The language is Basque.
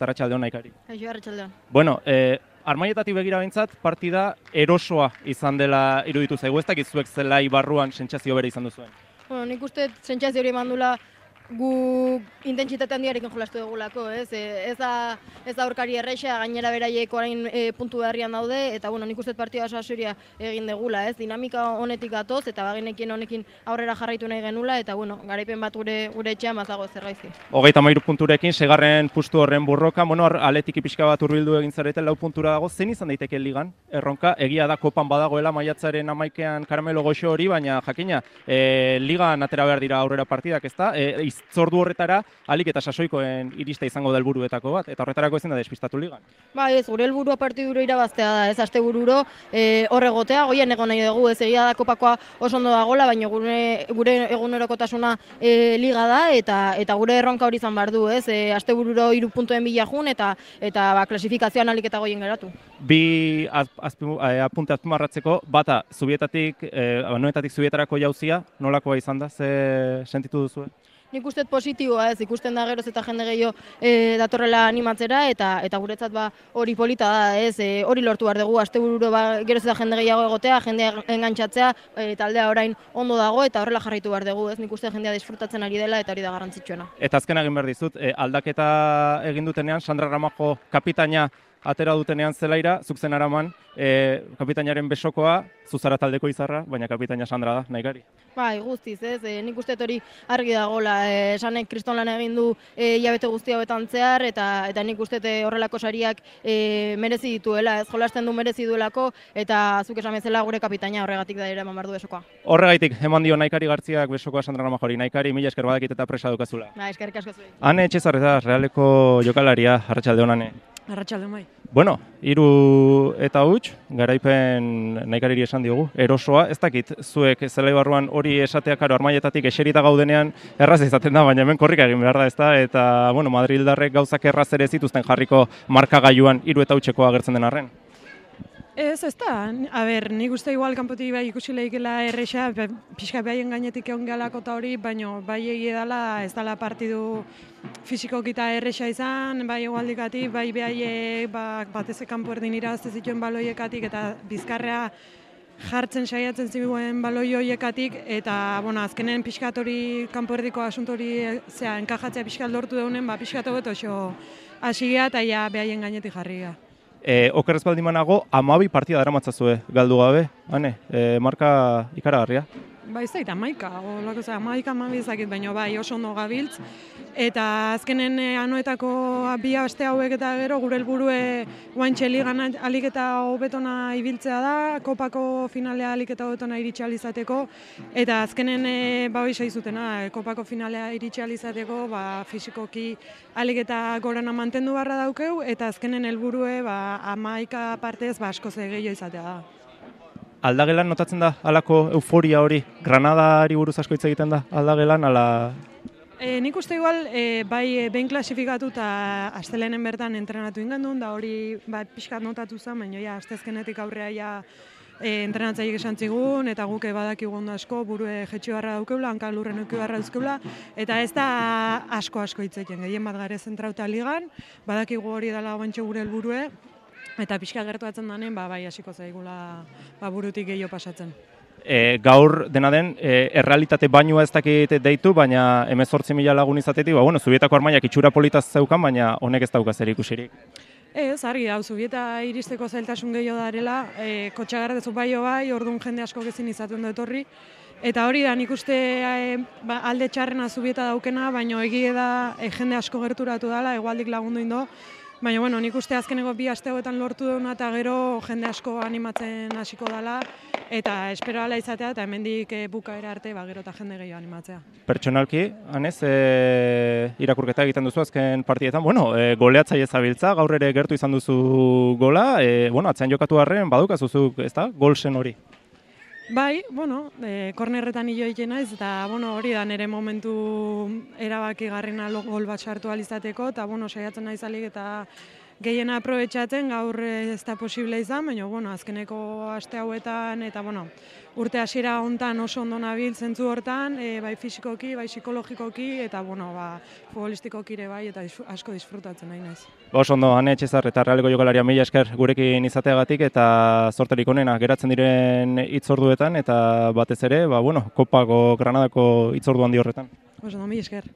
Arratsaldeon Naikari. Kaixo, arratsaldeon. Bueno, Armaietatik begira behintzat partida erosoa izan dela iruditu zaigu, ez dakit zuek zelai barruan sentsazio bere izan duzuen. Bueno, nik uste sentsazio hori emandula gu intentsitate handiarekin jolastu dugulako, ez? Ez da aurkari erresa, gainera beraiek orain puntu beharrian daude, eta bueno, nik uste partida oso asoria egin degula, ez? Dinamika honetik gatoz, eta bagenekien honekin aurrera jarraitu nahi genula, eta bueno, garaipen bat gure etxean bazago zergaizki. 33 punturekin, segarren pustu horren burroka, bueno, Athletic pixka bat hurbildu egin zarete, 4 puntura dago, zen izan daiteke ligan? Erronka, egia da kopan badagoela maiatzaren 11ean Karamelo Goxo hori, baina jakina, ligan atera behar dira aurrera partidak, ezta? Zordu horretara, alik eta sasoikoen irista izango da helburuetako bat, eta horretarako ezin da despistatu ligan. Ba, ez, gure helburua partiduro irabaztea da, ez, astebururo hor egotea, goian egon nahi dugu, ez, egia da kopakoa oso ondo dagoela, baina gure egunerokotasuna liga da, eta gure erronka hori izan behar du, ez, astebururo 3 puntuen bila jun, eta klasifikazioan alik eta goien geratu. Bi apunte azpimarratzeko, bata, Anoetatik Zubietarako jauzia, nolakoa izan da, ze sentitu duzu? Nik uste positiboa, ez, ikusten da geroz eta jende gehiago datorrela animatzera, eta guretzat hori polita da, ez, hori lortu behar dugu, astebururo geroz eta jende gehiago egotea, jendea engantzatzea, taldea orain ondo dago, eta horrela jarraitu behar dugu, ez, nik uste jendea disfrutatzen ari dela, eta hori da garrantzitsuena. Eta azken egin behar dizut, aldaketa egin dutenean, Sandra Ramajo kapitaina atera dutenean zelaira, zuk zen araman, kapitainaren besokoa, zuzara taldeko izarra, baina kapitaina Sandra da, Naikari. Bai, guztiz, ez, nik uste hori argi dagoela, Sanek kriston lan egin du hilabete guzti hauetan zehar, eta nik uste horrelako sariak merezi dituela, ez, jolasten du merezi duelako, eta zuk esan bezala gure kapitaina horregatik da ere eman behar du besokoa. Horregaitik, eman dio Naikari Gartziak besokoa Sandra Ramajori. Naikari, mila esker badakit eta presa dukazula. Ba, eskerrik asko zuei. Ane Etxezarreta, Realeko jokalaria, arratsaldeon Ane. Arratsaldeon bai. Bueno, 3 eta huts, garaipen Naikariri esan diogu, erosoa, ez dakit, zuek zelai barruan hori esatea, karo, Armaietatik eserita gaudenean erraz izaten da, baina hemen korrika egin behar da, ezta? Eta, bueno, Madrildarrek gauzak erraz ere zituzten jarriko markagailuan 3 eta hutseko agertzen den arren. Ez da, nik uste igual kanpotik bai ikusi lehikela erresa, pixka behaien gainetik egon gehalako eta hori, baina bai egie dela, ez dela partidu fisikoki eta erresa izan, bai egualdikatik, bai behaiek batez kanpo erdin irazte zituen baloiekatik eta bizkarrea jartzen saiatzen zibuen baloi horiekatik, eta azkenen pixkat hori kanpo erdiko asunto hori enkajatzea pixkat lortu daunen, pixkat hobeto oso hasigea eta ja behaien gainetik jarria. Okerrez baldin manago, 12 partida daramatzazue galdu gabe, Ane, marka ikaragarria. Ba, ez da, 11 ezakit, baina bai oso ondo gabiltz. Eta azkenen Anoetako 2 aste hauek eta gero gure helburue guantxe ligan alik eta hobetona ibiltzea da, kopako finalea alik eta hobetona iritsi ahal izateko, eta azkenen hori saizutena, kopako finalea iritsi ahal izateko, fisikoki alik eta gorana mantendu barra daukeu, eta azkenen helburue 11 partez askoz gehiago izatea da. Aldagelan notatzen da halako euforia hori? Granadari buruz asko hitz egiten da aldagelan, ala... Nik uste igual, bai behin klasifikatu eta astelenen bertan entrenatu ingendun, da hori pixkat notatu zen, baina ja, astezkenetik aurrea entrenatzaiek esan zigun, eta guk badakigu ondo asko, burue jetxi barra daukeula, hanka lurren euki barra dauzkeula, eta ez da asko hitzeiten, gehien bat gare zentrauta ligan, badakigu hori dela bantxo gure helburue, eta pixka gertuatzen danen, bai hasiko zaigula burutik gehiago pasatzen. Gaur dena den, errealitate bainua ez dakit deitu, baina 18.000 lagun izatetik, Zubietako Armaiak itxura politaz zeukan, baina honek ez dauka zer ikusirik. Ez, argi da, Zubieta iristeko zailtasun gehiago darela, kotxagardezu bai, orduan jende asko gezin izaten dut horri, eta hori da, nik uste alde txarrena Zubieta daukena, baina egie da jende asko gerturatu dela, egualdik lagundu indo, baina, nik uste azkeneko 2 aste hauetan lortu duna eta gero jende asko animatzen hasiko dela, eta espero ala izatea, eta hemendik bukaera arte gero eta jende gehiago animatzea. Pertsonalki, Anez, irakurketa egiten duzu azken partietan, goleatzaile zabiltza, gaur ere gertu izan duzu gola, atzean jokatu harren, badukazuzuk, ez da, golsen hori? Bai, kornerretan hilo egiten naiz, eta hori da nire momentu erabaki garrena gol bat sartu alizateko, eta saiatzen naiz alik eta gehien aprobetxatzen, gaur ez da posible izan, baina, bueno, azkeneko aste hauetan, eta, bueno, urte hasiera hontan oso ondo nabil zentzu hortan, bai fisikoki, bai psikologikoki, eta, bueno, futbolistikoki ere bai, eta asko disfrutatzen nahi naiz. Oso ondo, Ane Etxezar eta Realeko jokalaria mila esker gurekin izateagatik eta zorterik onena geratzen diren hitzorduetan eta batez ere, Kopako Granadako hitzordu handi horretan. Oso ondo, mila esker.